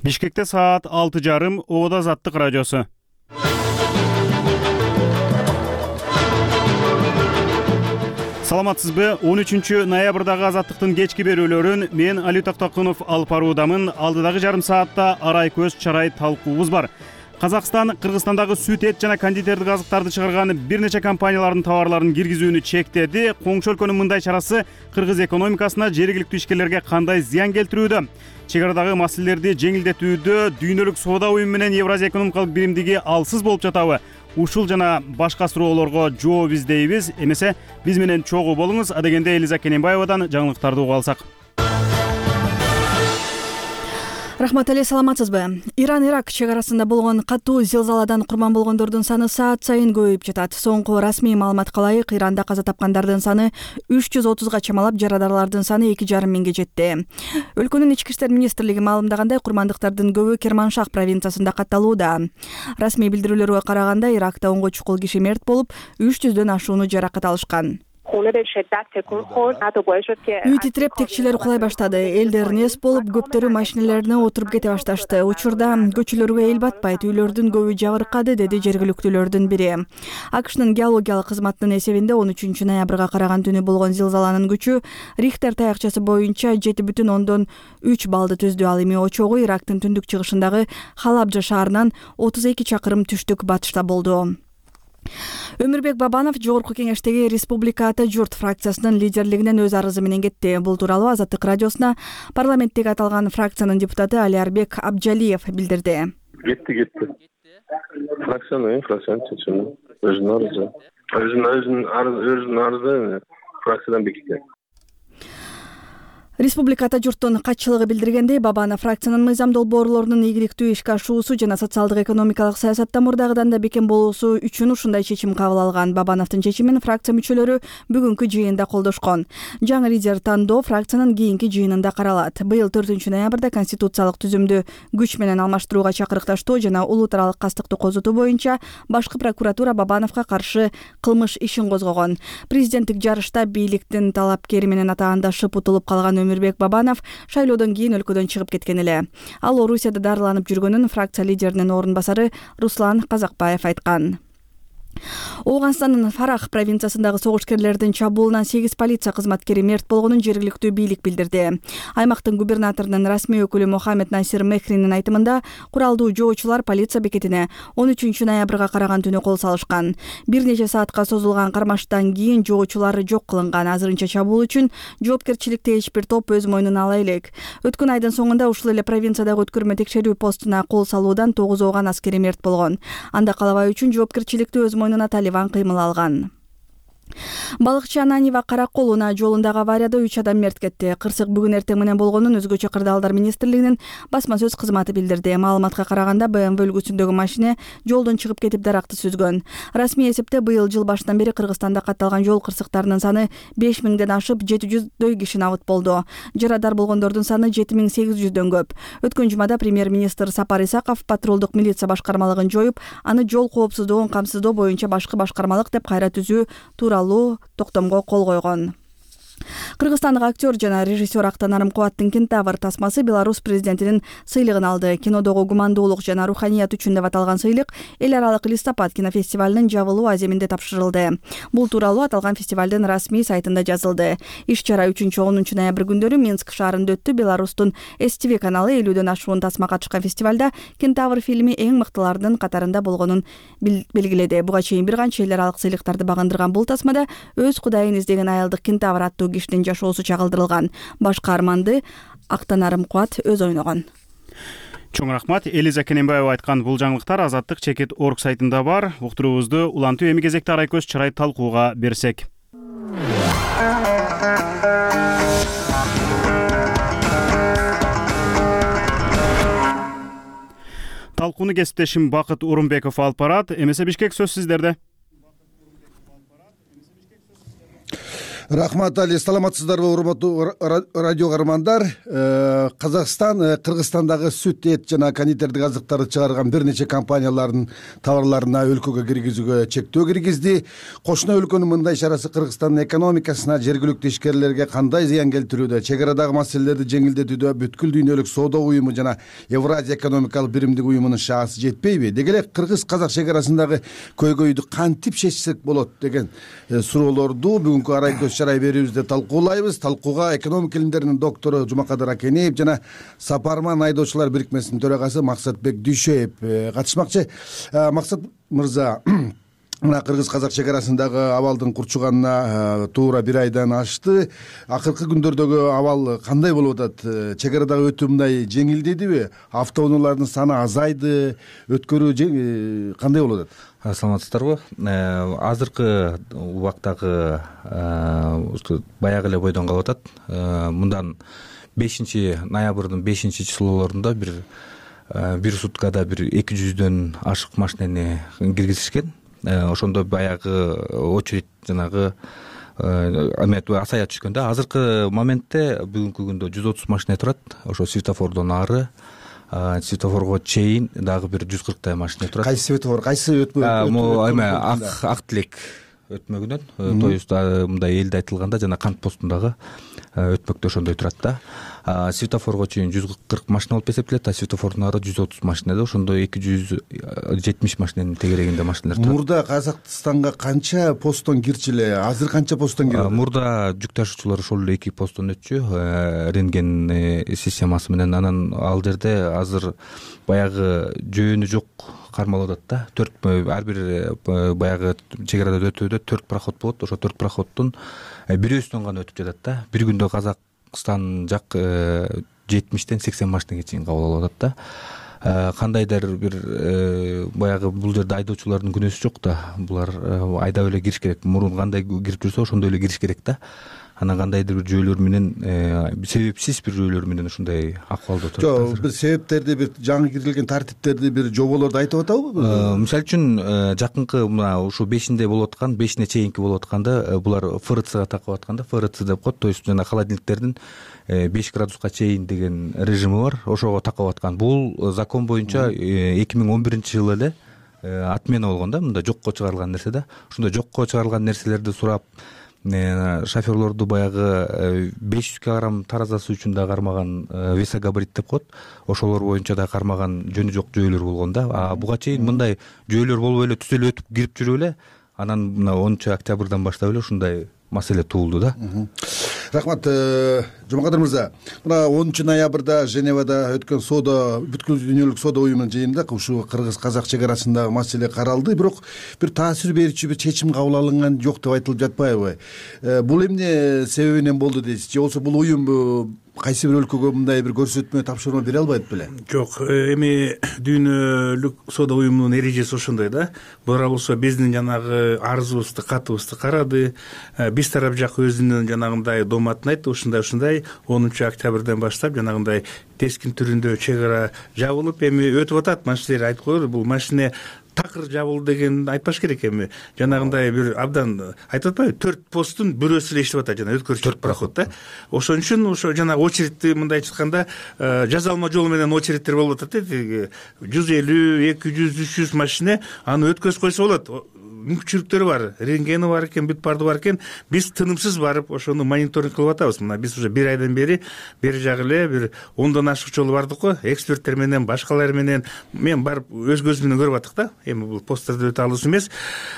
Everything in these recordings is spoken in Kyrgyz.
Бишкекте саат 6:30 Оодо Азаттык радиосу. Саламатсызбы? 13 ноябрдагы Азаттыктын кечки берүүлөрүн мен Али Токтокунов алып баруудамын. Алдыдагы жарым саатта арай көз чарай талкуубуз бар. Казакстан Кыргызстандагы сүт, эт жана кондитердик азыктарды чыгарган бир нече компаниялардын товарларын киргизүүнү чектеди. Коңшу өлкөнүн мындай чарасы кыргыз экономикасына, жергиликтүү ишкерлерге кандай зыян келтирүүдө? Чек арадагы маселелерди жеңилдетүүдө дүйнөлүк соода уюму менен Евразия экономикалык биримдиги алсыз болуп жатабы? Ушул жана башка суроолорго жооп издейбиз. Эмесе биз менен чогуу болуңуз. Адегенде Элиза Кененбаевадан жаңылыктарды угуп алсак. Рахмат эле, саламатсызбы? Иран-Ирак чек арасында болгон катуу зилзаладан курман болгондордун саны саат сайын көбөйүп жатат. Соңку расмий маалыматка ылайык, Иранда каза тапкандардын саны 330га чамалап, жарадарлардын саны 2,5 миңге жетти. Өлкөнүн ички иштер министрлиги маалымдагандай, курмандыктардын көбү Керманшах провинциясында катталууда. Расмий билдирүүлөргө караганда, Иракта 10 чукул киши мерт болуп, 300дөн ашууну жаракат алышкан. Үй титиреп, текчелер кулай баштады. Элдер нес болуп, көптөрү машиналарына отуруп кете башташты. Учурда көчөлөргө эл батпайт, үйлөрдүн көбү жабыркады, деди жергиликтүүлөрдүн бири. АКШнын геологиялык кызматынын эсебинде 13 ноябрга караган түнү болгон зилзаланын күчү Рихтер таякчасы боюнча 7,3 баллды түздү. Ал эми очогу Ирактын түндүк чыгышындагы Халабжа шаарынан 32 чакырым түштүк батышта болду. Өмүрбек Бабанов Жогорку кеңештеги Республика Ата журт фракциясынын лидерлигинен өз арызы менен кетти. Бул тууралуу Азаттык радиосуна парламенттеги аталган фракциянын депутаты Алиарбек Абджалиев билдирди. Кетти. Фракциянын чечими. Өзүнүн арызы фракциядан бекиткен. Республика Ата журттун катчылыгы билдиргендей, Бабанов фракциянын мыйзам долбоорлорунун ийгиликтүү ишке ашуусу жана социалдык экономикалык саясатта мурдагыдан да бекем болуусу үчүн ушундай чечим кабыл алган. Бабановдун чечимин фракция мүчөлөрү бүгүнкү жыйында колдошкон. Жаңы лидер тандоо фракциянын кийинки жыйынында каралат. Быйыл 4 ноябрда конституциялык түзүмдү күч менен алмаштырууга чакырыкташтоо жана улуу таралык кастыкты козутуу боюнча башкы прокуратура Бабановго каршы кылмыш ишин козгогон. Президенттик жарышта бийликтин талапкери менен атаандашып утулуп калган Өмүрбек Бабанов шайлоодон кийин өлкөдөн чыгып кеткен эле. Ал Орусияда дарыланып жүргөнүн фракция лидеринин орун басары Руслан Казакбаев айткан. Ооганстандын Фарах провинциясындагы согушкерлердин чабуулунан 8 полиция кызматкери мерт болгонун жергиликтүү бийлик билдирди. Аймактын губернаторунун расмий өкүлү Мухаммед Насир Мехринин айтымында, куралдуу жоочулар полиция бекетине 13 ноябрга караган түнү кол салышкан. Бир нече саатка созулган кармаштан кийин жоочулар жок кылынган. Азырынча чабуул үчүн жоопкерчиликти эч бир топ өз мойнуна ала элек. Өткөн айдын соңунда ушул эле провинциядагы өткөрмө текшерүү постуна кол салуудан 9 ооган аскери мерт болгон. Анда калабай үчүн жоопкерчиликти өз мойнуна Талибан кыймыл алган. Балыкчы Ананьева Караколуна жолундагы аварияда 3 адам мерт кетти. Кырсык бүгүн эртең менен болгонун өзгөчө кырдаалдар министрлигинин басма сөз кызматы билдирди. Маалыматка караганда BMW үлгүсүндөгү машина жолдон чыгып кетип даракты сүзгөн. Расмий эсепте быйыл жыл башынан бери Кыргызстанда катталган жол кырсыктарынын саны 5000ден ашып 700дөй киши набыт болду. Жарадар болгондордун саны 7800дөн көп. Өткөн жумада премьер-министр Сапар Исаков патрулдук милиция башкармалыгын жоюп, аны жол коопсуздугун камсыздоо боюнча башкы башкармалык деп кайра түзүү тууралуу токтомго кол койгон. Кыргызстандык актер жана режиссер Актанарым Кубаттын Кентавр тасмасы Беларусь президентинин сыйлыгын алды. Кинодогу гумандуулук жана руханият үчүн деп аталган сыйлык эл аралык Листопад кинофестивалынын жабылуу аземинде тапшырылды. Бул тууралуу аталган фестивалдын расмий сайтында жазылды. Иш-чара 3-10 ноябрь күндөрү Минск шаарында өттү. Беларустун СТВ каналы 50дөн ашуун тасма катышкан фестивалда Кентавр фильми эң мыктылардын катарында болгонун белгиледи. Буга чейин бир канча эл аралык сыйлыктарды багындырган бул тасмада өз кудайын издеген аялдык Кентавр аттуу кишинин жашоосу чагылдырылган. Баш каарманды Актанарым Кубат өз ойногон. Чоң рахмат. Элиза Кененбаева айткан бул жаңылыктар Азаттык Чекит.org сайтында бар. Уктуруубузду улантуу эми кезекте арай көз чарай талкууга берсек. Талкууну кесиптешим Бакыт Урумбеков алып барат. Эмесе Бишкек сөз сиздерде. Рахмат Али, саламатсыздарбы урматтуу радио каармандар? Казакстан Кыргызстандагы сүт, эт жана кондитердик азыктарды чыгарган бир нече компаниялардын товарларына өлкөгө киргизүүгө чектөө киргизди. Кошуна өлкөнүн мындай ишарасы Кыргызстандын экономикасына, жергиликтүү ишкерлерге кандай зыян келтирүүдө, чек арадагы маселелерди жеңилдетүүдө бүткүл дүйнөлүк соода уюму жана Евразия экономикалык биримдик уюмунун шаасы жетпейби? Деги эле кыргыз-казак чек арасындагы көйгөйдү кантип чечсек болот деген суроолорду бүгүнкү арай көз чарай берүүбүздө талкуулайбыз. Талкууга экономика илимдеринин доктору Жумакадыр Акенеев жана Сапарман айдоочулар бирикмесинин төрагасы Максатбек Дүйшөев катышмакчы. Максат мырза, мына кыргыз-казак чек арасындагы абалдын курчуганына туура бир айдан ашты. Акыркы күндөрдөгү абал кандай болуп атат? Чек арадагы өтүү мындай жеңилдедиби? Автоунаалардын саны азайды, өткөрүү кандай болуп атат? Саламатсыздарбы? Азыркы убактагы баягы эле бойдон калып атат. Мындан 5-ноябрдын 5-числолорунда бир суткада 200дөн ашык машинени киргизишкен. Ошондо баягы очередь жанагы асая түшкөн да. Азыркы моментте бүгүнкү күндө 130 машина турат. Ошо светофордон ары светофорго чейин дагы бир 140 машина турат. Кайсы светофор, кайсы ак тилек өтмөгүнөн, то есть мындай элде айтылганда жана кант постундагы өтмөктө ошондой турат да. Светофорго чейин 140 машина болуп эсептелет, светофордун ары 130 машина да. Ошондо 270 машинанын тегерегинде машиналар турат. Мурда Казакстанга канча посттон кирчү эле? Азыр канча посттон кирип атат? Мурда жүк ташуучулар ошол эле 2 посттон өтчү, рентген системасы менен. Анан ал жерде азыр баягы жөөнү жок кармалып атат да. Ар бир баягы чек арада өтүүдө 4 проход болот. Ошо 4 проходдун бирөөсүнөн гана өтүп жатат да. Бир күндө Казакстан жак 70-тен 80 машинеге чейин кабыл алып атат да. Кандайдыр бир баягы бул жерде айдоочулардын күнөөсү жок да. Булар айдап эле кириш керек. Мурун кандай кирип жүрсө ошондой эле кириш керек да. Анан кандайдыр бир жөөлөр менен, себепсиз бир жөөлөр менен ушундай акыбалда турат. Жок, бир себептерди, бир жаңы кирилген тартиптерди, бир жоболорду айтып атабы? Мисалы үчүн жакынкы мына ушу 5-inde болуп аткан, 5-ине чейинки болуп атканда булар ФРЦга такып атканда, ФРЦ деп коет, то есть жана холодильниктердин 5 градуска чейин деген режими бар, ошого такып аткан. Бул закон боюнча 2011-жылы эле отмена болгон да, мында жокко чыгарылган нерсе да. Ошондой жокко чыгарылган нерселерди сурап шоферлорду баягы 500 кг таразасы үчүн да кармаган, весогабарит деп коет, ошолор боюнча да кармаган жөнү жок жөөлөр болгон да. Буга чейин мындай жөөлөр болуп эле түз эле өтүп кирип жүрүп эле, анан мына 10-октябрдан баштап эле ушундай маселе туулду да. Рахмат, Жумакадыр мырза. Мына 10-ноябрда Женевада өткөн бүткүл дүйнөлүк соода уюмунун жыйынында ушу кыргыз-казак чек арасындагы маселе каралды, бирок бир таасир берүүчү бир чечим кабыл алынган жок деп айтылып жатпайбы? Бул эмне себебинен болду дейсиз? Же болбосо бул уюм кайсы бир өлкөгө мындай бир көрсөтмө, тапшырма бере албайт беле? Жок, эми дүйнөлүк соода уюмунун эрежеси ошондой да. Бура болсо биздин жанагы арызыбызды, катыбызды карады. Биз тарап жак өзүнүн жанагындай дооматын айтты. Ушундай 10-октябрдан баштап жанагындай тескин түрүндө чек ара жабылып эми өтүп атат. Машинелер айтып коелу, бул машине такыр жабылды деген айтпаш керек. Эми жанагындай бир абдан айтып атпайбы, 4 посттун бирөөсү эле иштеп атат, жана өткөрүүчү проход да. Ошон үчүн ошо жанагы очередти мындай айтканда жазалма жол менен очередтер болуп атат. 150, 200, 300 машина аны өткөзүп койсо болот. Мүмкүнчүлүктөрү бар, рентгени бар экен, бүт барды бар экен. Биз тынымсыз барып ошону мониторинг кылып атабыз. Мына биз уже бир айдан бери бери жагы эле бир 10дон ашык жолу бардык го, эксперттер менен, башкалар менен мен барып өз көзүм менен көрүп аттык да. Эми бул посттерде өтө алыс эмес.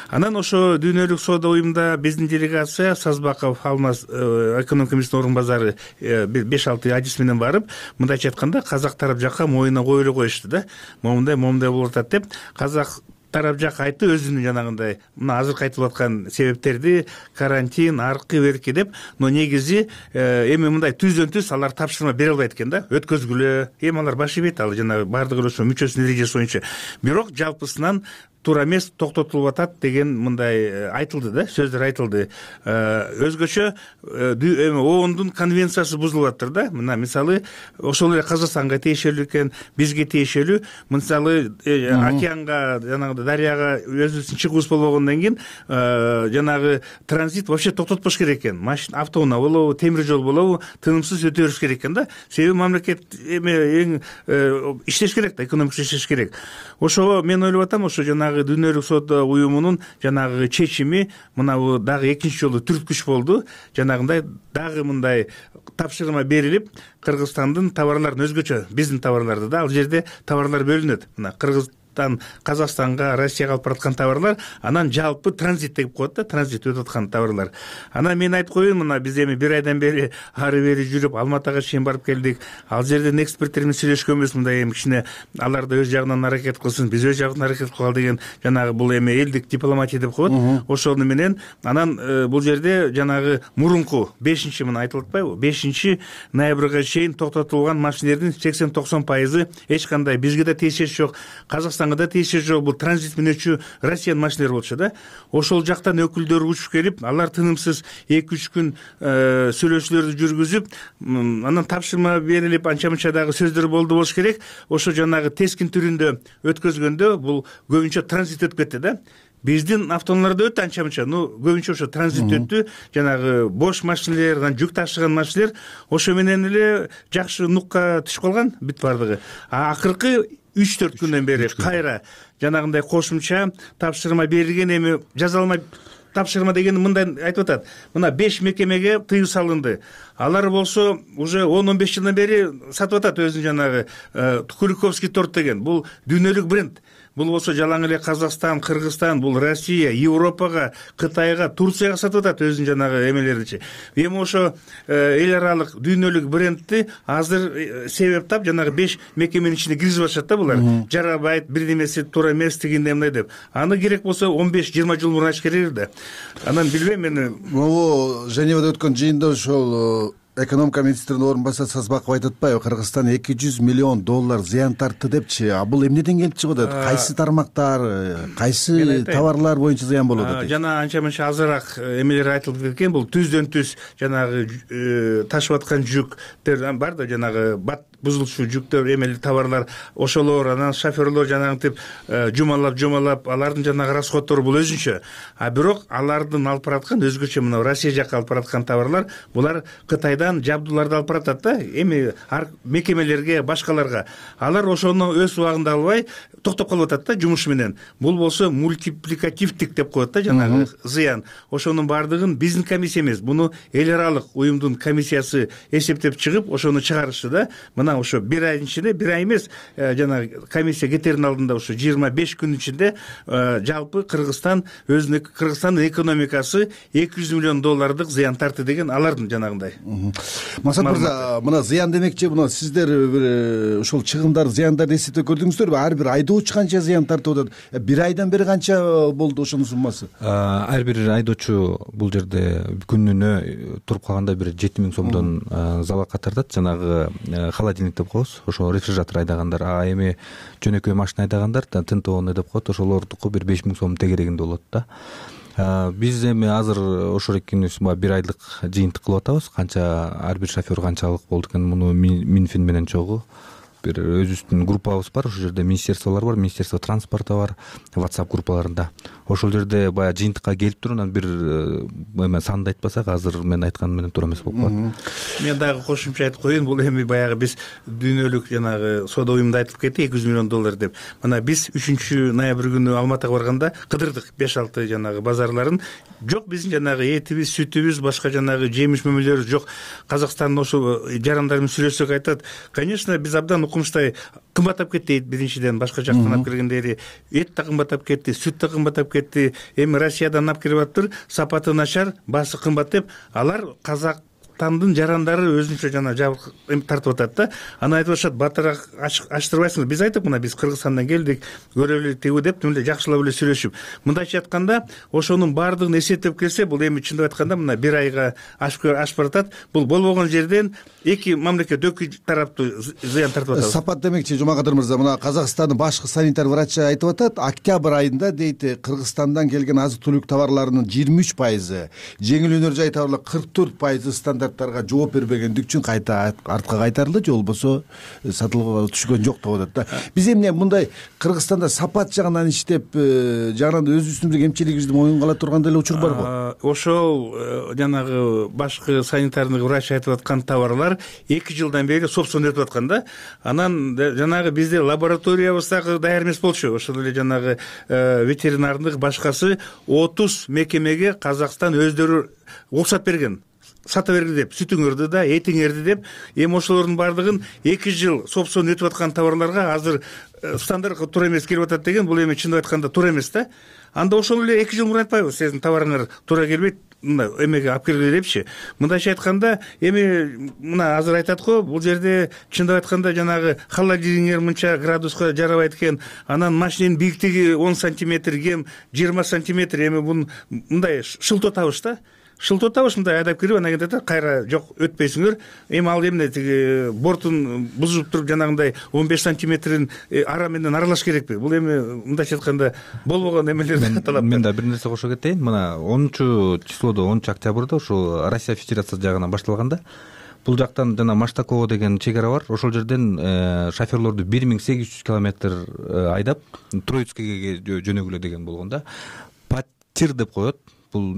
Анан ошо дүйнөлүк соода уюмунда биздин делегация Сазбаков Алмаз экономика министринин орун базары 5-6 адис менен барып, мындайча айтканда казак тарап жакка моюна коюп эле коюшту да. Момундай болуп атат деп, казак тарап жак айтты өзүнүн жанагындай мына азыркы айтылып аткан себептерди, карантин, аркы берки деп, но негизи эми мындай түздөн-түз алар тапшырма бере албайт экен да, өткөзгүлө. Эми алар баш ийбейт, ал жанагы бардыгы ошо мүчөсүнүн эрежеси боюнча. Бирок жалпысынан туура эмес, токтотулуп атат деген мындай айтылды да, сөздөр айтылды. Өзгөчө оондун конвенциясы бузулуп атыр да. Мына мисалы ошол эле Казакстанга тиешелүү экен, бизге тиешелүү. Мисалы океанга, жанагы дарыяга өзүбүздүн чыгуубуз болбогондон кийин жанагы транзит вообще токтотпош керек экен. Машина, автоунаа болобу, темир жол болобу, тынымсыз өтө бериш керек экен да. Себеби мамлекет эң иштеш керек да, экономикасы иштеш керек. Ошого мен ойлоп атам, ошо жанагы Дүйнөлүк соода уюмунун жанагы чечими мына дагы экинчи жолу түрткүч болду. Жанагындай дагы мындай тапшырма берилип, Кыргызстандын товарларын өзгөчө, биздин товарларды да, ал жерде товарлар бөлүнөт. Мына Казакстанга, Россияга алып бараткан товарлар, анан жалпы транзит деп коет да, транзит өтүп аткан товарлар. Анан мен айтып коеюн, мына биз эми бир айдан бери ары бери жүрүп Алматыга чейин барып келдик. Ал жерден эксперттер менен сүйлөшкөнбүз, мындай эми кичине алар да өз жагынан аракет кылсын, биз өз жагынан аракет кылалы деген жанагы бул эми элдик дипломатия деп коет. Ошону менен анан бул жерде жанагы мурунку 5-чи мына айтылып атпайбы? 5-ноябрга чейин токтотулган машинелердин 80-90% эч кандай бизге да тиешеси жок, Казакстанга да тиешеси жок. Бул транзит менен өтчү Россиянын машинелери болчу да. Ошол жактан өкүлдөр учуп келип, алар тынымсыз 2-3 күн сүйлөшүүлөрдү жүргүзүп, анан тапшырма берилип, анча-мынча дагы сөздөр болуш керек. Ошо жанагы тескин түрүндө өткөзгөндө бул көбүнчө транзит өтүп кетти да. Биздин автоунааларда өттү анча-мынча, көбүнчө ошо транзит өттү. Жанагы бош машинелер, анан жүк ташыган машинелер ошо менен эле жакшы нукка түшүп калган бүт бардыгы. Акыркы 3-4 күндөн бери кайра жанагындай кошумча тапшырма берилген. Эми жазалма тапшырма деген мындай айтып атат. Мына 5 мекемеге тыюу салынды. Алар болсо уже 10-15 жылдан бери сатып атат өзүн жанагы Куликовский торт деген. Бул дүйнөлүк бренд. Бул болсо жалаң эле Казакстан, Кыргызстан, бул Россия, Европага, Кытайга, Турцияга сатып атат өзүн жанагы эмелеричи. Эми ошо эл аралык дүйнөлүк брендти азыр себеп тап жанагы 5 мекеменин ичине киргизип атышат да булар. Жарабайт, бирдемеси туура эмес дегенде мындай деп. Аны керек болсо 15-20 жыл мурун ачыш керек да. Анан билбейм мен. Могу Женевада өткөн жыйында ошол экономика министринин орун басары Сазбаков айтып атпайбы, Кыргызстан $200 миллион зыян тартты депчи. А бул эмнеден келип чыгып атат? Кайсы тармактар, кайсы товарлар боюнча зыян болуп атат? Жана анча-мынча азыраак эмелер айтылып кеткен. Бул түздөн түз жанагы ташып аткан жүктөр бар да, жанагы бат бузулушу жүктөр, эмели товарлар, ошолор, анан шоферлор жанагынтип жумалап, алардын жанагы расходтору бул өзүнчө. А бирок алардын алып бараткан өзгөчө мына Россия жакка алып бараткан товарлар, булар Кытайдан жабдууларды алып баратат да, эми мекемелерге, башкаларга. Алар ошону өз убагында албай токтоп калып атат да жумуш менен. Бул болсо мультипликативдик деп коет да жанагы зыян. Ошонун бардыгын биздин комиссия эмес, буну эл аралык уюмдун комиссиясы эсептеп чыгып, ошону чыгарышты да. Мына ошо бир айдын ичинде, бир ай эмес, жанагы комиссия кетердин алдында ошо 25 күн ичинде жалпы Кыргызстан Кыргызстандын экономикасы $200 миллион зыян тартты деген алардын жанагындай. Масат мырза, мына зыян демекчи, мына сиздер бир ушул чыгымдар, зыяндарды эсептеп көрдүңүздөрбү? Ар бир айдоочу канча зыян тартып атат? Бир айдан бери канча болду ошонун суммасы? Ар бир айдоочу бул жерде күнүнө туруп калганда бир 7.000 сомдон залалга тартат. Жанагы холодильник деп коебуз, ошо рефрижератор айдагандар. А эми жөнөкөй машина айдагандар, тынтоонуу деп коет, ошолордуку бир 5.000 сом тегерегинде болот да. Биз эми азыр ошол экинибиз бир айлык жыйынтык кылып атабыз. Канча ар бир шофер канчалык болду экен, муну Минфин менен чогуу бир өзүбүздүн группабыз бар, ошол жерде министерстволор бар, министерство транспорта бар, WhatsApp группаларында. Ошол жерде баягы жыйынтыкка келип туруп, анан бир эме санды айтпасак, азыр мен айтканым менен туура эмес болуп калат. Мен дагы кошумча айтып коеюн, бул эми баягы биз дүйнөлүк жанагы соода уюмунда айтылып кетти $200 миллион деп. Мына биз 3-ноябрь күнү Алматыга барганда кыдырдык 5-6 жанагы базарларын. Жок биздин жанагы этибиз, сүтүбүз, башка жанагы жемиш мөмөлөрүбүз жок. Казакстандын ошо жарандар менен сүйлөшсөк айтат, конечно, биз абдан укмуштай кымбаттап кетти. Биринчиден башка жактан алып келгендери эт да кымбаттап кетти, сүт да кымбаттап кетти. Эми Россиядан алып келип атыптыр, сапаты начар, баасы кымбат деп. Алар казакстандын жарандары өзүнчө жана жабык тартып атат да. Анан айтып атышат, батыраак ачтырбайсыңбы? Биз айттык, мына биз Кыргызстандан келдик, көрөлү тигүү деп эле жакшылап эле сүйлөшүп. Мындайча айтканда, ошонун баардыгын эсептеп келсе, бул эми чындап айтканда мына 1 айга ашып баратат. Бул болбогон жерден эки мамлекет, эки тараптуу зыян тартып атат. Сапат демекчи, Жумакадыр мырза, мына Казакстандын башкы санитар врачы айтып атат, октябрь айында дейт, Кыргызстандан келген азык-түлүк товарларынын 23%, жеңил өнөр жай товарлар 44% стандарттарга жооп бербегендик үчүн кайта артка кайтарылды, же болбосо сатылууга түшкөн жок деп атат да. Биз эмне мындай Кыргызстанда сапат жагынан иштеп, жагынан өзүбүздүн эмчилигибизди моюнга ала турган деле учур барбы? Ошол жанагы башкы санитарный врач айтып аткан товарлар 2 жылдан бери собственно өтүп аткан да. Анан жанагы бизде лабораториябыз дагы даяр эмес болчу. Ошол эле жанагы ветеринардык башкасы 30 мекемеге Казакстан өздөрү уруксат берген. Сата бергиле деп, сүтүңөрдү да, этиңерди деп. Эми ошолордун бардыгын 2 жыл собственно өтүп аткан товарларга азыр стандартка туура эмес келип атат деген, бул эми чындап айтканда туура эмес да. Анда ошол эле 2 жыл мурун айтпайбы, сиздин товарыңар туура келбейт, мына эмеге алып келгиле депчи. Мындайча айтканда, эми мына азыр айтат го, бул жерде чындап айтканда жанагы холодильниктер мынча градуска жарабайт экен, анан машиненин бийиктиги 10 сантиметр кем, 20 сантиметр, эми бун мындай шылтоо табыш да. Шылтоо табыш мындай айдап кирип, анан кетет, кайра жок өтпөйсүңөр. Эми ал эмне тиги бортун бузуп туруп жанагындай 15 сантиметрин ара менен аралаш керекпи? Бул эми мындайча айтканда болбогон эмелерди каталап. Мен да бир нерсе кошо кетейин. Мына 10-числодо, 10-октябрда ошо Россия Федерациясы жагынан башталганда, бул жактан жана Маштаково деген чек ара бар. Ошол жерден шоферлорду 1800 километр айдап Троицкиге жөнөгүлө деген болгон да. Патир деп коет. Бул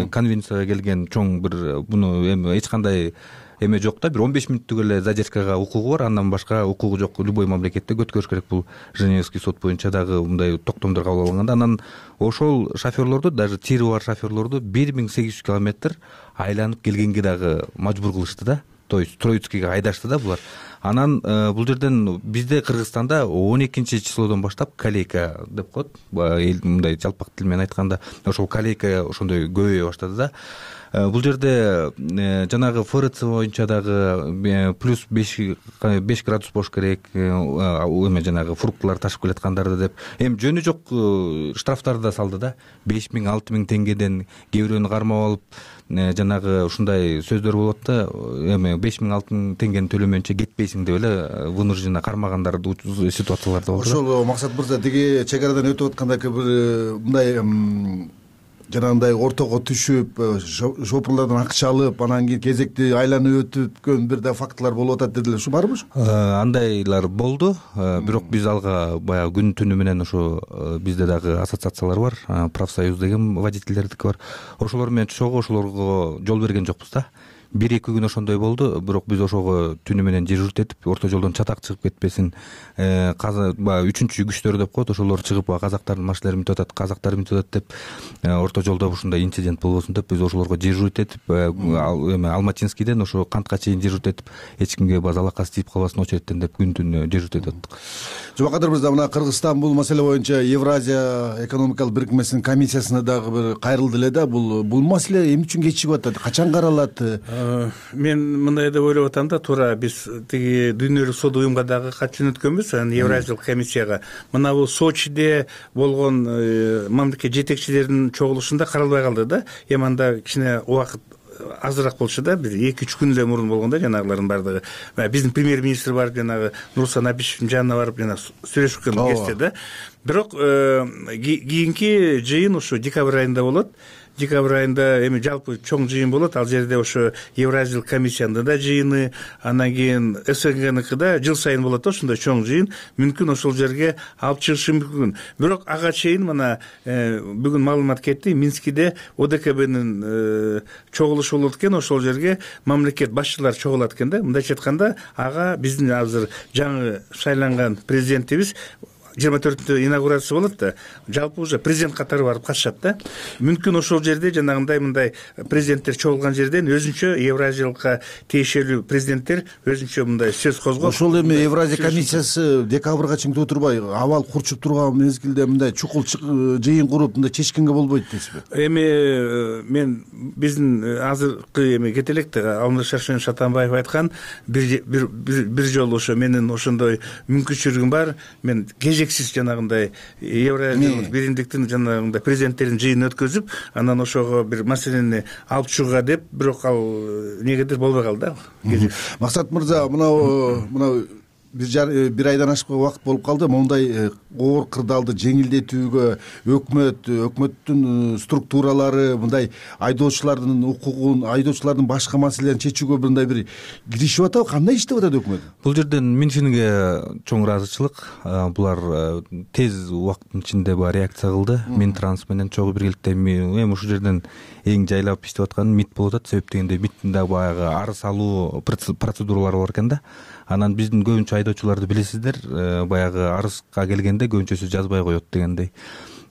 конвенцияга келген чоң бир, буну эми эч кандай эме жок да, бир 15 мүнөттүк эле задержкага укугу бар, андан башка укугу жок. Любой мамлекетте өткөрүш керек. Бул Женевский сот боюнча дагы мындай токтомдор кабыл алынганда, анан ошол шоферлорду, даже тири бар шоферлорду 1800 километр айланып келгенге дагы мажбур кылышты да. То есть Троицкиге айдашты да булар. Анан бул жерден бизде Кыргызстанда 12-числодон баштап калейка деп коет. Мындай жалпак тил менен айтканда, ошол калейка ошондой көбөйө баштады да. Бул жерде жанагы ФРЦ боюнча дагы плюс 5 градус болуш керек, эме жанагы фруктылар ташып келаткандарды деп. Эми жөнү жок штрафтарды да салды да. 5000-6000 теңгеден кээ бирөөнү кармап алып, жанагы ушундай сөздөр болот да, эми 5000-6000 теңгени төлөмөйүнчө кетпейсиң деп эле вынужденно кармагандар ситуациялар да болду. Ошол Максат мырза, тиги чек арадан өтүп атканда бир мындай жанагындай ортого түшүп, шопурлардан акча алып, анан кийин кезекти айланып өтүпкөн бир да фактылар болуп атат дедилер. Ушу барбы? Андайлар болду. Бирок биз алга баягы күн түнү менен ошо бизде дагы ассоциациялар бар, профсоюз деген водительдердики бар. Ошолор менен чогуу ошолорго жол берген жокпуз да. 1-2 күн ошондой болду, бирок биз ошого түнү менен дежурить этип, орто жолдон чатак чыгып кетпесин, үчүнчү күчтөр деп коет, ошолор чыгып казактардын машиналарын бүтүп атат, казактар бүтүп атат деп, орто жолдо ушундай инцидент болбосун деп биз ошолорго дежурить этип, эме Алматинскийден ошо Кантка чейин дежурить этип, эч кимге базалакасы тийип калбасын очередтен деп күн түнү дежурить этип аттык. Жумакадыр мырза, мына Кыргызстан бул маселе боюнча Евразия экономикалык бирикмесинин комиссиясына дагы бир кайрылды эле да. Бул маселе эмне үчүн кечигип атат? Качан каралат? Мен мындай деп ойлоп атам да, туура биз тиги дүйнөлүк соода уюмга дагы кат жөнөткөнбүз, анан Евразиялык комиссияга. Мына бул Сочиде болгон мамлекет жетекчилеринин чогулушунда каралбай калды да. Эми анда кичине убакыт азыраак болчу да, бир 2-3 күн эле мурун болгон да жанагылардын бардыгы. Биздин премьер-министр барып, жанагы Нурсан Абишевдин жанына барып жана сүйлөшкөн кезде да. Бирок кийинки жыйын ушу декабрь айында болот. Декабрь айында эми жалпы чоң жыйын болот. Ал жерде ошо Евразиялык комиссиянын да жыйыны, анан кийин СНГныкы да жыл сайын болот ошондой чоң жыйын. Мүмкүн ошол жерге алып чыгышы мүмкүн. Бирок ага чейин мына бүгүн маалымат кетти, Минскиде ОДКБнын чогулушу болот экен, ошол жерге мамлекет башчылары чогулат экен да. Мындайча айтканда, ага биздин азыр жаңы шайланган президентибиз 24 инаугурация болот да, жалпы уже президент катары барып катышат да. Мүмкүн ошол жерде жанагындай мындай президенттер чогулган жерден өзүнчө Евразиялыкка тиешелүү президенттер өзүнчө мындай сөз козгоп, ошол эми Евразия комиссиясы декабрга чейин отурбай абал курчуп турган мезгилде мындай чукул жыйын куруп мындай чечкенге болбойт дейсизби? Эми мен биздин азыркы эми кете элек да, Алмаз Шаршенович Атамбаев айткан бир жолу ошо менин ошондой мүмкүнчүлүгүм бар, мен кезексиз жанагындай Евразиялык биримдиктин жанагындай президенттердин жыйынын өткөзүп, анан ошого бир маселени алып чыгууга деп, бирок ал негедир болбой калды да. Максат мырза, мынау бир айдан ашык убакыт болуп калды. Мондай оор кырдаалды жеңилдетүүгө өкмөттүн структуралары мындай айдоочулардын укугун, айдоочулардын башка маселелерин чечүүгө мындай бир киришип атабы? Кандай иштеп атат өкмөт? Бул жерден Минфинге чоң ыраазычылык. Булар тез убакыттын ичинде баа реакция кылды. Минтранс менен чогуу биргеликте эми ушул жерден эң жайлап иштеп аткан МИД болуп атат. Себеп дегенде МИДтин да баягы арыз алуу процедуралары бар экен да. Анан биздин көбүнчө айдоочуларды билесиздер, баягы арызга келгенде көбүнчөсү жазбай коет дегендей.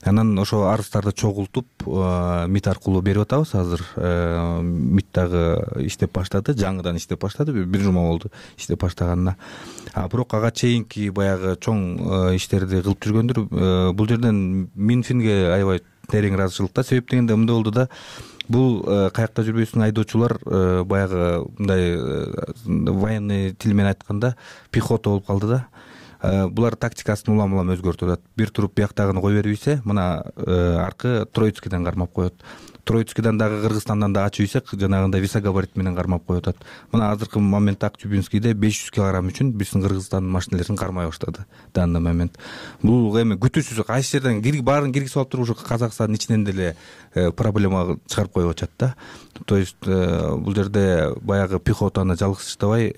Анан ошо арыздарды чогултуп МИД аркылуу берип атабыз азыр. МИД дагы иштеп баштады, жаңыдан иштеп баштады, бир жума болду иштеп баштаганына. Бирок ага чейинки баягы чоң иштерди кылып жүргөндөр. Бул жерден Минфинге аябай терең ыраазычылык да. Себеп дегенде мындай болду да, бул каякта жүрбөйсүң айдоочулар баягы мындай военный тил менен айтканда пехота болуп калды да. Булар тактикасын улам өзгөртүп атат. Бир туруп бияктагыны кой берип ийсе, мына аркы Троицкийден кармап коет. Троицкийден дагы Кыргызстандан да ачып ийсек, жанагындай висогабарит менен кармап коюп атат. Мына азыркы моментте Актюбинскийде 500 кг үчүн биздин Кыргызстандын машиналерин кармай баштады данный момент. Бул эми күтүүсүз кайсы жерден баарын киргизип алып туруп ушу Казакстандын ичинен деле проблема чыгарып коюп атышат да. То есть бул жерде баягы пехотаны жалгызсыздабай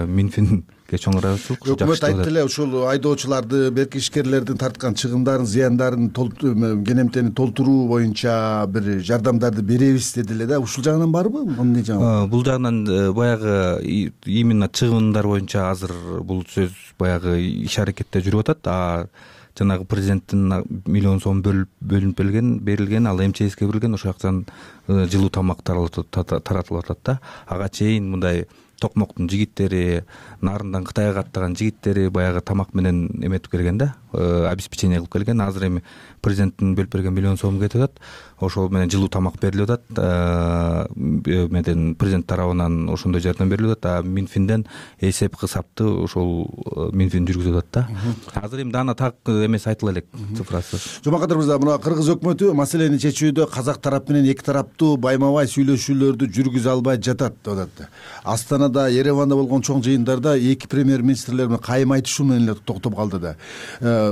Минфин чоң ыраазычылык. Өкмөт айтты эле ушул айдоочуларды, берки ишкерлердин тарткан чыгымдарын, зыяндарын кенемтени толтуруу боюнча бир жардамдарды беребиз деди эле да. Ушул жагынан барбы? Эмне жагы? Бул жагынан баягы именно чыгымдар боюнча азыр бул сөз баягы иш аракетте жүрүп атат. Жанагы президенттин $1 миллион бөлүнүп берилген, ал МЧСке берилген, ошол жактан жылуу тамак таратылып атат да. Ага чейин мындай Токмоктун жигиттери, нарындан Кытайга аттаган жигиттери баягы тамак менен эметип келген да, обеспечение кылып келген. Азыр эми президенттин бөлүп берген $1 миллион кетип атат. Ошол менен жылуу тамак берилип атат. Меден президент тарабынан ошондой жардам берилип атат. Минфинден эсеп кысапты ошол Минфин жүргүзүп атат да. Азыр эми дана так эмес айтыла элек цифрасы. Жомакат мырза, мына Кыргыз өкмөтү маселени чечүүдө казак тарап менен эки тараптуу байма-бай сүйлөшүүлөрдү жүргүзө албай жатат деп атат. Астанада, Ереванда болгон чоң жыйындарда эки премьер-министрлер менен кайым айтышуу менен эле токтоп калды да.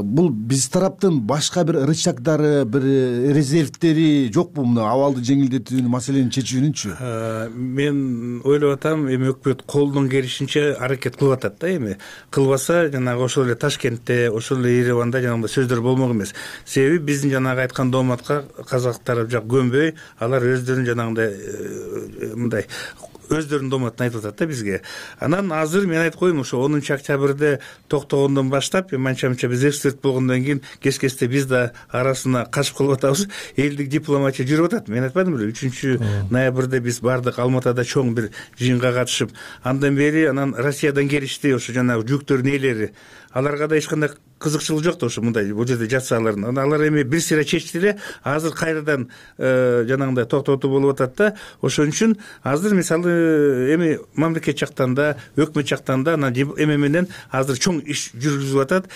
Бул биз тараптын башка бир рычагдары, бир резервтери жокпу мына абалды жеңилдетүүнү, маселени чечүүнүнчү? Мен ойлоп атам, эми өкмөт колунун келишинче аракет кылып атат да. Эми кылбаса, жанагы ошол эле Ташкентте, ошол эле Ереванда жанагындай сөздөр болмок эмес. Себеби биздин жанагы айткан дооматка казак тарап жак көнбөй, алар өздөрүнүн жанагындай мындай өздөрүнүн дооматын айтып атат да бизге. Анан азыр мен айтып коеюн, ошо 10 октябрда токтогондон баштап, манча-мынча биз эксперт болгондон кийин кес-кесте биз да арасына кашып калып атабыз. Элдик дипломатия жүрүп атат. Мен айтпадым беле, 3-ноябрда биз бардык Алматада чоң бир жыйынга катышып, андан бери анан Россиядан келишти ошо жанагы жүктөрдүн ээлери. Аларга да эч кандай кызыкчылык жок да, ошо мындай бул жерде жатса алардын. Алар эми бир сыйра чечти эле, азыр кайрадан жанагындай токтотуу болуп атат да. Ошон үчүн азыр мисалы эми мамлекет жактан да, өкмөт жактан да эме менен азыр чоң иш жүргүзүлүп атат.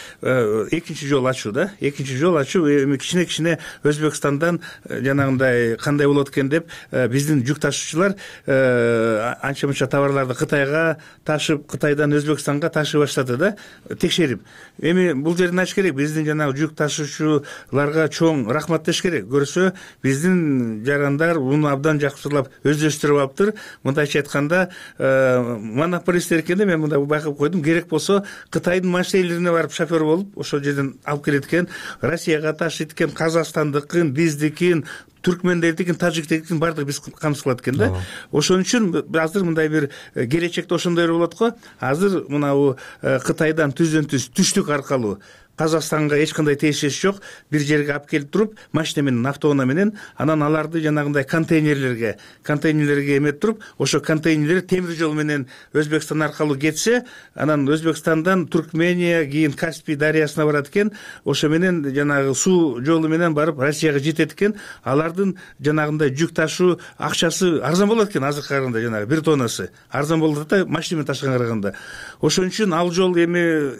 Экинчи жол ачуу да. Экинчи жол ачуу эми кичине Өзбекстандан жанагындай кандай болот экен деп биздин жүк ташуучулар анча-мынча товарларды Кытайга ташып, Кытайдан Өзбекстанга ташый баштады да, текшерип. Эми бул жерден айтыш керек, биздин жанагы жүк ташуучуларга чоң рахмат деш керек. Көрсө, биздин жарандар муну абдан жакшылап өздөштүрүп алыптыр. Мындайча айтканда, монополисттер экенде мен мындай байкап койдум, керек болсо Кытайдын машиналарына барып шофер болуп, ошол жерден алып келет экен, Россияга ташыйт экен, Казакстандыкын, биздикин, түркмендердикин, тажиктикин баардыгы биз камсыз кылат экен да. Ошон үчүн азыр мындай бир келечекте ошондой болот го. Азыр мынабу Кытайдан түздөн-түз түштүк аркылуу Казакстанга эч кандай тиешеси жок. Бир жерге алып келип туруп, машина менен, автоунаа менен, анан аларды жанагындай контейнерлерге эметип туруп, ошо контейнерлер темир жол менен Өзбекстан аркылуу кетсе, анан Өзбекстандан Туркмения, кийин Каспий дарыясына барат экен. Ошо менен жанагы суу жолу менен барып Россияга жетет экен. Алардын жанагындай жүк ташуу акчасы арзан болот экен, азыркы караганда жанагы 1 тоннасы арзан болот да, машина менен ташыганга караганда. Ошон үчүн ал жол эми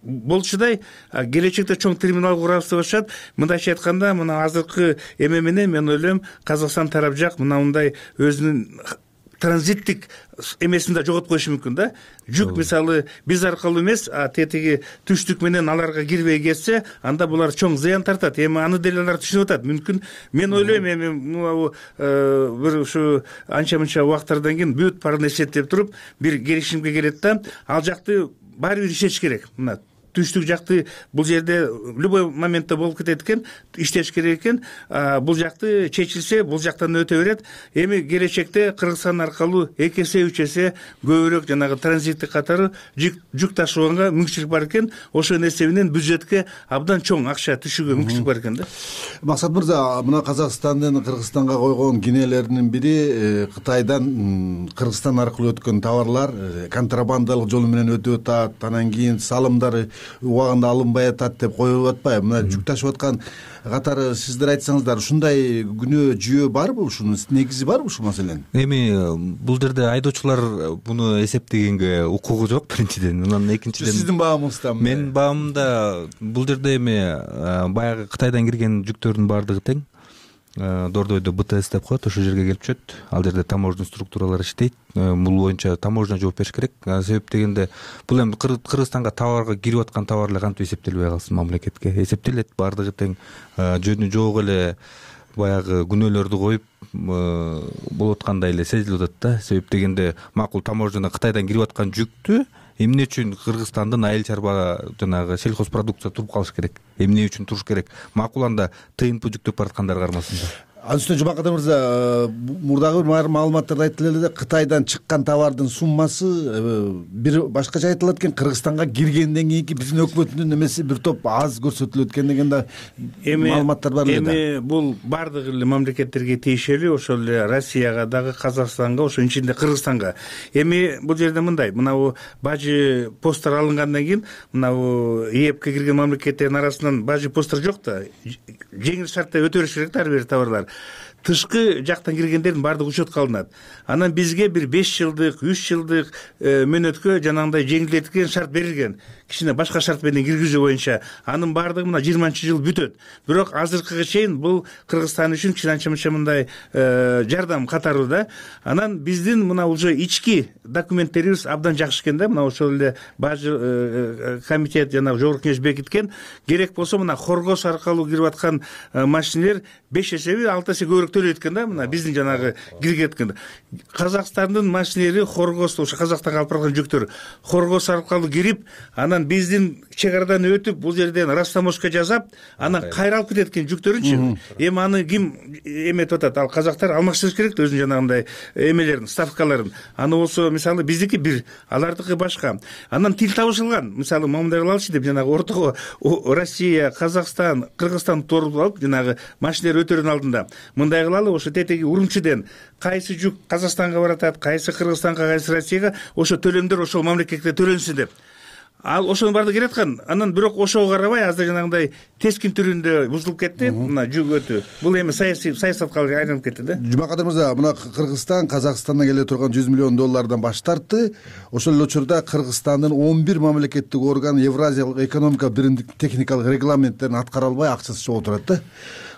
болчудай келечекте чоң терминал курабыз деп атышат. Мындайча айтканда, мына азыркы эме менен мен ойлойм, Казакстан тарап жак мындай өзүнүн транзиттик эмесин да жоготуп коюшу мүмкүн да. Жүк мисалы биз аркылуу эмес, тетиги түштүк менен аларга кирбей кетсе, анда булар чоң зыян тартат. Эми аны деле алар түшүнүп атат. Мүмкүн мен ойлойм, эми бир ушу анча-мынча убакыттардан кийин бүт баарын эсептеп туруп бир келишимге келет да, ал жакты баары бир иштеш керек. Мына түштүк жакты бул жерде любой моментте болуп кетет экен, иштеш керек экен. Бул жакты чечилсе, бул жактан өтө берет. Эми келечекте Кыргызстан аркылуу 2 эсе 3 эсе көбүрөөк жанагы транзиттик катары жүк ташыганга мүмкүнчүлүк бар экен. Ошонун эсебинен бюджетке абдан чоң акча түшүүгө мүмкүнчүлүк бар экен да. Максат мырза, мына Казакстандын Кыргызстанга койгон кенелеринин бири Кытайдан Кыргызстан аркылуу өткөн товарлар контрабандалык жол менен өтүп атат, анан кийин салымдары убагында алынбай атат деп коюп атпайбы? Мына жүк ташып аткан катары сиздер айтсаңыздар, ушундай күнөө жүйө барбы, ушунун негизи барбы ушул маселенин? Эми бул жерде айдоочулар буну эсептегенге укугу жок, биринчиден. Анан экинчиден сиздин баамыңызда? Менин баамымда бул жерде эми баягы Кытайдан кирген жүктөрдүн баардыгы тең. Дордойдо БТС деп коет, ошол жерге келип түшөт. Ал жерде таможня структуралар иштейт. Бул боюнча таможня жооп бериш керек. Себеп дегенде, бул эми Кыргызстанга товарга кирип аткан товарлар кантип эсептелбей калсын, мамлекетке эсептелет, баардыгы тең. Жөнү жок эле баягы күнөөлөрдү коюп болуп аткандай эле сезилип атат да. Себеп дегенде, макул таможняна Кытайдан кирип аткан жүктү эмне үчүн Кыргызстандын айыл чарба жанагы сельхозпродукция туруп калыш керек? Эмне үчүн туруш керек? Макул анда ТНП жүктөп бараткандар кармасында. Ал үстүнө Жумакадыр мырза, мурдагы маалыматтарда айтылып эле, Кытайдан чыккан товардын суммасы бир башкача айтылат экен, Кыргызстанга киргенден кийинки биздин өкмөттүн эмеси бир топ аз көрсөтүлөт экен деген да маалыматтар бар эле да. Эми бул баардык эле мамлекеттерге тиешелүү, ошол эле Россияга дагы, Казакстанга, ошонун ичинде Кыргызстанга. Эми бул жерде мындай, мынабу бажы посттор алынгандан кийин, мынабу ЕЭПке кирген мамлекеттердин арасынан бажы посттор жок да. Жеңил шартта өтө бериш керек да ар бир товарлар. Тышкы жактан киргендердин баардыгы учетко алынат. Анан бизге бир 5 жылдык, 3 жылдык мөөнөткө жанагындай жеңилдетилген шарт берилген. Кичине башка шарт менен киргизүү боюнча. Анын баардыгы мына 20-жыл бүтөт. Бирок азыркыга чейин бул Кыргызстан үчүн кичине анча-мынча мындай жардам катары да. Анан биздин мына уже ички документтерибиз абдан жакшы экен да. Мына ошол эле бажы комитет жана жогорку кеңеш бекиткен. Керек болсо мына Хоргоз аркылуу кирип аткан машинелер 5 эсеби 6 эсе көбүрөөк төлөйт экен да. Мына биздин жанагы кирген экен. Казакстандын машинелери Хоргоз, ошо Казакстанга алып барган жүктөр Хоргоз аркылуу кирип, анан биздин чек арадан өтүп, бул жерден растаможка жасап, анан кайра алып кетет экен жүктөрүнчү. Эми аны ким эметип атат? Ал казактар алмаштырыш керек да өзүнүн жанагындай эмелерин, ставкаларын. Аны болсо мисалы биздики бир, алардыкы башка. Анан тил табышылган. Мисалы мындай кылалычы деп жанагы ортого Россия, Казакстан, Кыргызстан туруп алып жанагы машинелер өтөрүнүн алдында мындай кылалы, ошо тетеги Урумчиден кайсы жүк Казакстанга баратат, кайсы Кыргызстанга, кайсы Россияга, ошо төлөмдөр ошол мамлекетке төлөнсүн деп. Ал ошонун баардыгы келе аткан. Анан бирок ошого карабай азыр жанагындай тескин түрүндө бузулуп кетти. Мына жүк өтүү. Бул эми саясатка айланып кетти да. Жумакадыр мырза, мына Кыргызстан Казакстандан келе турган $100 миллион баш тартты. Ошол эле учурда Кыргызстандын 11 мамлекеттик орган Евразиялык экономика биримдик техникалык регламенттерин аткара албай акчасы чогуу турат да.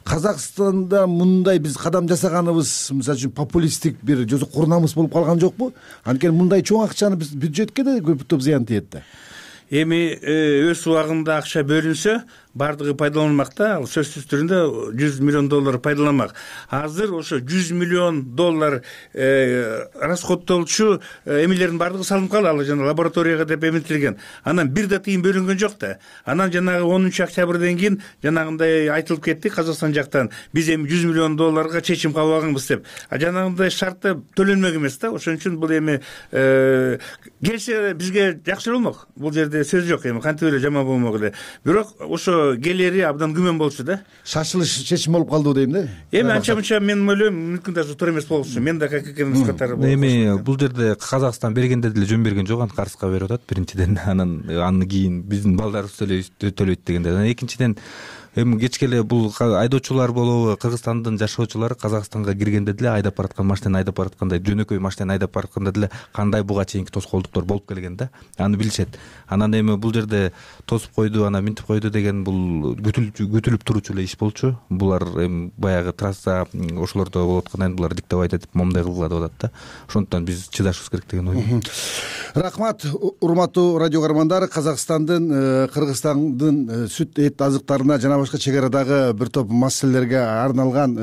Казакстанда мындай биз кадам жасаганыбыз, мисалы үчүн популисттик бир жозок курунамыз болуп калган жокпу? Анткени мындай чоң акчаны биз бюджетке да көп топ зыян тиет да. Эми өз убагында акча бөлүнсө, баардыгы пайдаланылмак да. Ал сөзсүз түрүндө $100 миллион пайдаланмак. Азыр ошо $100 миллион расходтолчу эмелердин баардыгы салынып калды. Ал жана лабораторияга деп эметилген. Анан бир да тыйын бөлүнгөн жок да. Анан жанагы 10-октябрдан кийин жанагындай айтылып кетти Казакстан жактан. Биз эми $100 миллион чечим кабыл алганбыз деп. Жанагындай шартта төлөнмөк эмес да. Ошон үчүн бул эми келсе бизге жакшы болмок. Бул жерде жерде сөз жок, эми кантип эле жаман болмок эле, бирок ошо келери абдан күмөн болчу да. Шашылыш чечим болуп калды дейм да. Эми анча мынча мен ойлойм, мүмкүн даже туура эмес болчу. Мен да как экенибиз катары болуп. Эми бул жерде Казакстан бергенде деле жөн берген жок, антип арызга берип атат биринчиден. Андан кийин биздин балдарыбыз төлөйт дегенде. Анан экинчиден эми кечке эле бул айдоочулар болобу, Кыргызстандын жашоочулары Казакстанга киргенде деле айдап бараткан машинени айдап бараткандай, жөнөкөй машинени айдап баратканда деле кандай буга чейинки тоскоолдуктар болуп келген да, аны билишет. Анан эми бул жерде тосуп койду, анан минтип койду деген бул күтүлүп турчу эле иш болчу. Булар эми баягы трасса ошолордо болуп аткандан кийин булар диктовать этип момундай кылгыла деп атат да. Ошондуктан биз чыдашыбыз керек деген ойдойм. Рахмат, урматтуу радио каармандар. Казакстандын, Кыргызстандын сүт эт азыктарына жана башка чек арадагы бир топ маселелерге арналган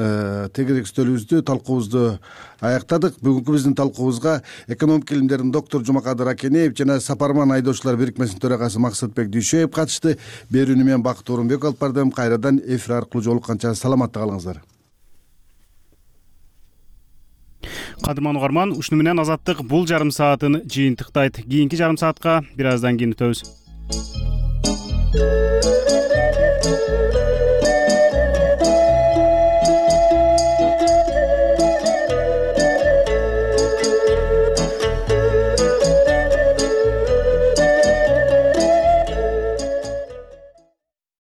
тегерек үстөлүбүздү, талкуубузду аяктадык. Бүгүнкү биздин талкуубузга экономика илимдеринин доктуру Жумакадыр Акенеев жана Сапарман айдоочулар бирикмесинин төрагасы Максатбек Дүйшөев катышты. Берүүнү мен Бакыт Орунбеков алып бардым. Кайрадан эфир аркылуу жолукканча саламатта калыңыздар. Кадырман угарман, ушуну менен Азаттык бул жарым саатын жыйынтыктайт. Кийинки жарым саатка бир аздан кийин өтөбүз.